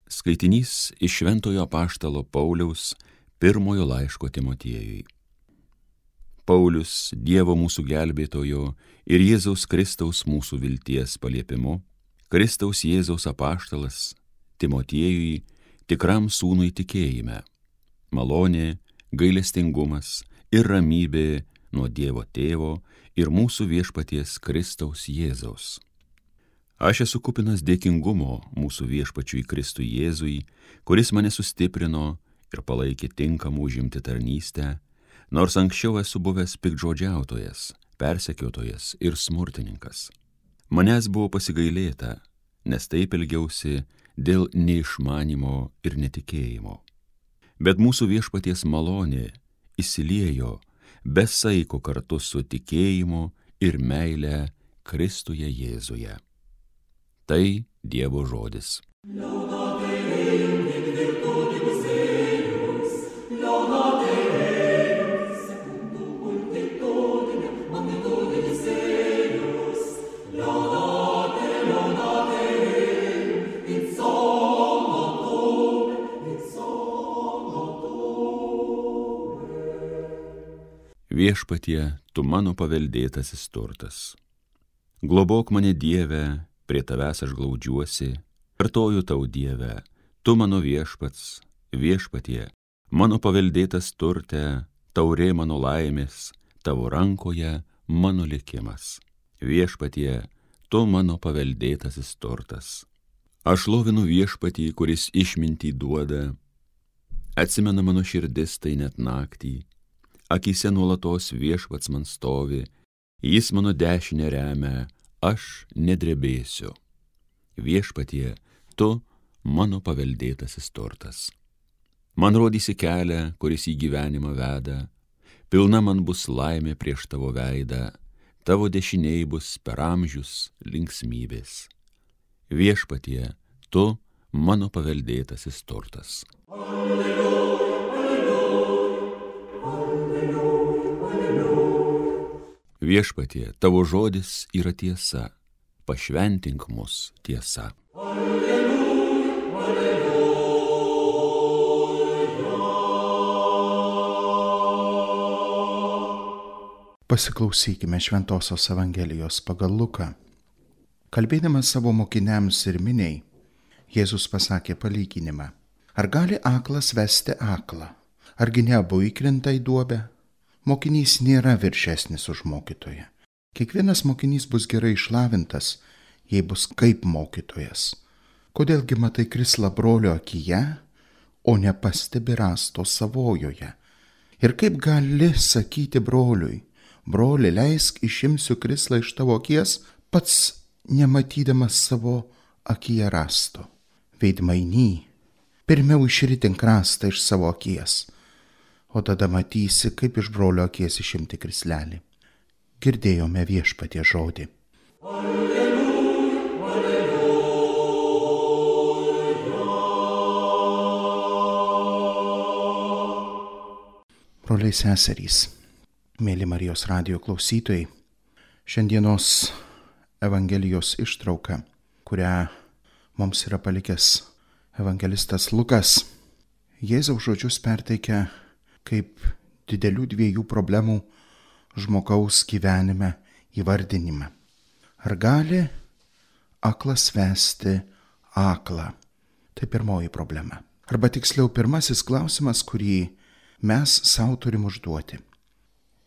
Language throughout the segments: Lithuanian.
Skaitinys iš Šventojo apaštalo Pauliaus pirmojo laiško Timotiejui. Paulius, Dievo mūsų gelbėtojo ir Jėzaus Kristaus mūsų vilties paliepimu, Kristaus Jėzaus apaštalas Timotiejui, tikram sūnui tikėjime, malonė, gailestingumas ir ramybė nuo Dievo Tėvo ir mūsų viešpaties Kristaus Jėzaus. Aš esu kupinas dėkingumo mūsų viešpačiui Kristui Jėzui, kuris mane sustiprino ir palaikė tinkamų užimti tarnystę, nors anksčiau esu buvęs piktžodžiautojas, persekiotojas ir smurtininkas. Manęs buvo pasigailėta, nes taip elgiausi dėl neišmanimo ir netikėjimo. Bet mūsų viešpaties malonė įsiliejo be saiko kartu su tikėjimu ir meile Kristuje Jėzuje. Tai Dievo žodis. Viešpatie, tu mano paveldėtasis turtas. Globok mane, Dieve, prie tavęs aš glaudžiuosi, kartoju tau, Dieve, tu mano viešpats, viešpatie, mano paveldėtas turte, taurė mano laimės, tavo rankoje mano likimas. Viešpatie, tu mano paveldėtasis turtas. Aš lovinu viešpatį, kuris išmintį duoda, atsimena mano širdis tai net naktį, akyse nuolatos viešpats man stovi, jis mano dešinę remia, aš nedrebėsiu. Viešpatie, tu mano paveldėtasis turtas. Man rodysi kelią, kuris į gyvenimą veda, pilna man bus laimė prieš tavo veidą, tavo dešiniai bus per amžius linksmybės. Viešpatie, tu mano paveldėtasis turtas. Alleluja, alleluja, alleluja. Viešpatie, tavo žodis yra tiesa, pašventink mus tiesa. Alleluja, alleluja. Pasiklausykime Šventosios Evangelijos pagal Luką. Kalbėdamas savo mokiniams ir miniai, Jėzus pasakė palyginimą. Ar gali aklas vesti aklą? Argi ne abu įkrenta į duobę? Mokinys nėra viršesnis už mokytoją. Kiekvienas mokinys bus gerai išlavintas, jei bus kaip mokytojas. Kodėlgi matai krislą brolio akyje, o nepastebi rąsto savojoje? Ir kaip gali sakyti broliui, broli, leisk išimsiu krislą iš tavo akies, pats nematydamas savo akyje rąsto. Veidmainy, pirmiau išritink rąstą iš savo akies, o tada matysi, kaip iš brolio akies išimti krislelį. Girdėjome viešpatie žodį. Alleluja, alleluja. Broliai seserys, mėly Marijos radijo klausytojai, šiandienos Evangelijos ištrauka, kurią mums yra palikęs evangelistas Lukas, Jėzaus žodžius perteikia kaip didelių dviejų problemų žmogaus gyvenime įvardinimą. Ar gali aklas vesti aklą? Tai pirmoji problema. Arba tiksliau pirmasis klausimas, kurį mes savo turim užduoti.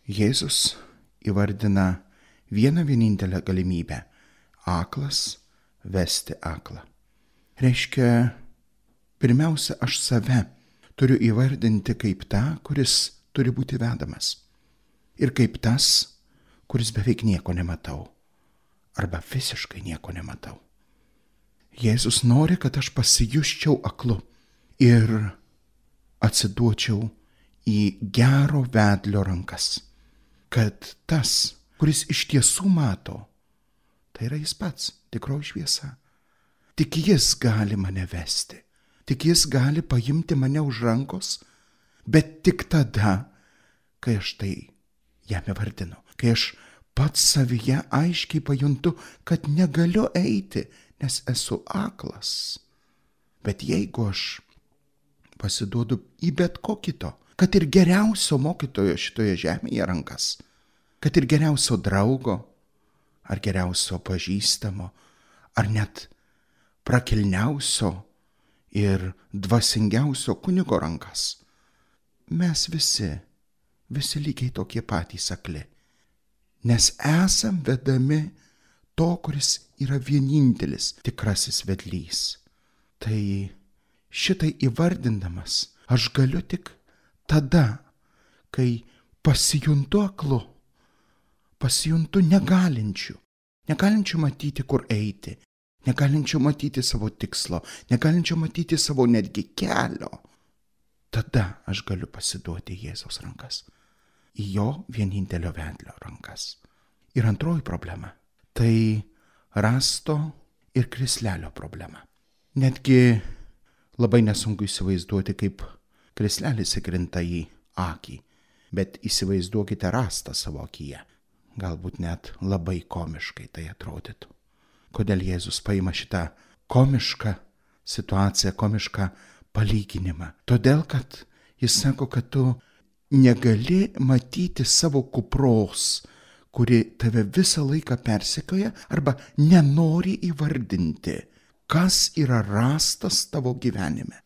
Jėzus įvardina vieną vienintelę galimybę – aklas vesti aklą. Reiškia, pirmiausia, aš save turiu įvardinti kaip tą, kuris turi būti vedamas. Ir kaip tas, kuris beveik nieko nematau. Arba visiškai nieko nematau. Jėzus nori, kad aš pasijusčiau aklu ir atsiduočiau į gero vedlio rankas. Kad tas, kuris iš tiesų mato, tai yra jis pats, tikroji šviesa. Tik jis gali mane vesti. Tik jis gali paimti mane už rankos, bet tik tada, kai aš tai jam įvardinu, kai aš pats savyje aiškiai pajuntu, kad negaliu eiti, nes esu aklas. Bet jeigu aš pasiduodu į bet ko kito, kad ir geriausio mokytojo šitoje žemėje rankas, kad ir geriausio draugo, ar geriausio pažįstamo, ar net prakilniausio ir dvasingiausio kunigo rankas, mes visi lygiai tokie patys akli, nes esam vedami to, kuris yra vienintelis tikrasis vedlys. Tai šitai įvardindamas aš galiu tik tada, kai pasijuntu aklu, pasijuntu negalinčiu matyti, kur eiti, negalinčiu matyti savo tikslo, negalinčiu matyti savo netgi kelio. Tada aš galiu pasiduoti Jėzaus rankas, į jo vienintelio vedlio rankas. Ir antroji problema – tai rąsto ir krislelio problema. Netgi labai nesunku įsivaizduoti, kaip krislelis įkrinta į akį, bet įsivaizduokite rąstą savo akyje. Galbūt net labai komiškai tai atrodytų. Kodėl Jėzus paima šitą komišką situaciją, komišką palyginimą? Todėl, kad jis sako, kad tu negali matyti savo kupros, kuri tave visą laiką persekioja, arba nenori įvardinti, kas yra rąstas tavo gyvenime.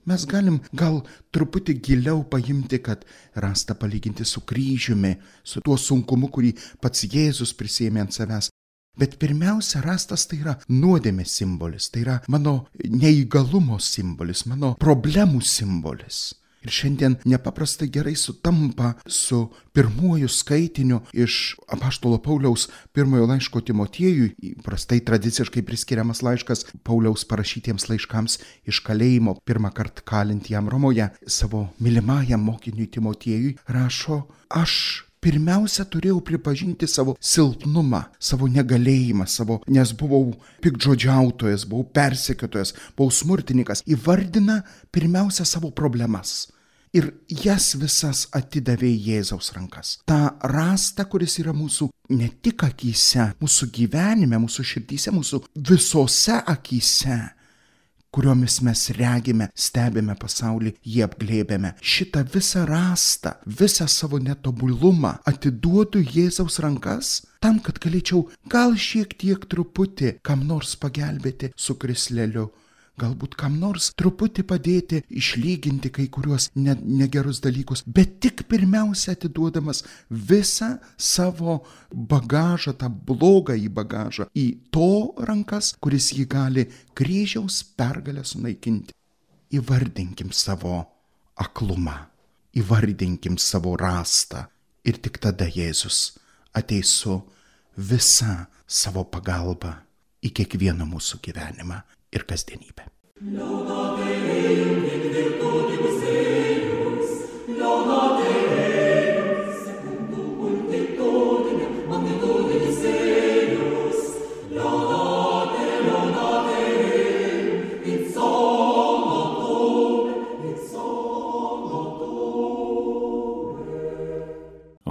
Mes galim gal truputį giliau paimti, kad rąstą palyginti su kryžiumi, su tuo sunkumu, kurį pats Jėzus prisiėmė ant savęs. Bet pirmiausia, rąstas tai yra nuodėmės simbolis, tai yra mano neįgalumo simbolis, mano problemų simbolis. Ir šiandien nepaprastai gerai sutampa su pirmuoju skaitiniu iš apaštalo Pauliaus pirmojo laiško Timotiejui, įprastai tradiciškai priskiriamas laiškas Pauliaus parašytiems laiškams iš kalėjimo, pirmą kartą kalint jam Romoje, savo mylimajam mokiniui Timotiejui, rašo: aš pirmiausia turėjau pripažinti savo silpnumą, savo negalėjimą, nes buvau piktžodžiautojas, buvau persekiotojas, buvau smurtininkas. Įvardina pirmiausia savo problemas. Ir jas visas atidavė Jėzaus rankas. Ta rąstą, kuris yra mūsų ne tik akyse, mūsų gyvenime, mūsų širdyse, mūsų visose akyse, kuriomis mes regime, stebime pasaulį, jį apglėbėme. Šitą visą rąstą, visą savo netobulumą atiduodu Jėzaus rankas, tam, kad galėčiau gal šiek tiek truputį kam nors pagelbėti su krisleliu. Galbūt kam nors truputį padėti išlyginti kai kuriuos negerus dalykus, bet tik pirmiausia atiduodamas visą savo bagažą, tą blogąjį bagažą į to rankas, kuris jį gali kryžiaus pergalę sunaikinti. Įvardinkim savo aklumą, įvardinkim savo rąstą ir tik tada Jėzus ateis su visa savo pagalba į kiekvieną mūsų gyvenimą ir kasdienybę.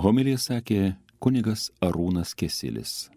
Homiliją sakė kunigas Arūnas Kesilis.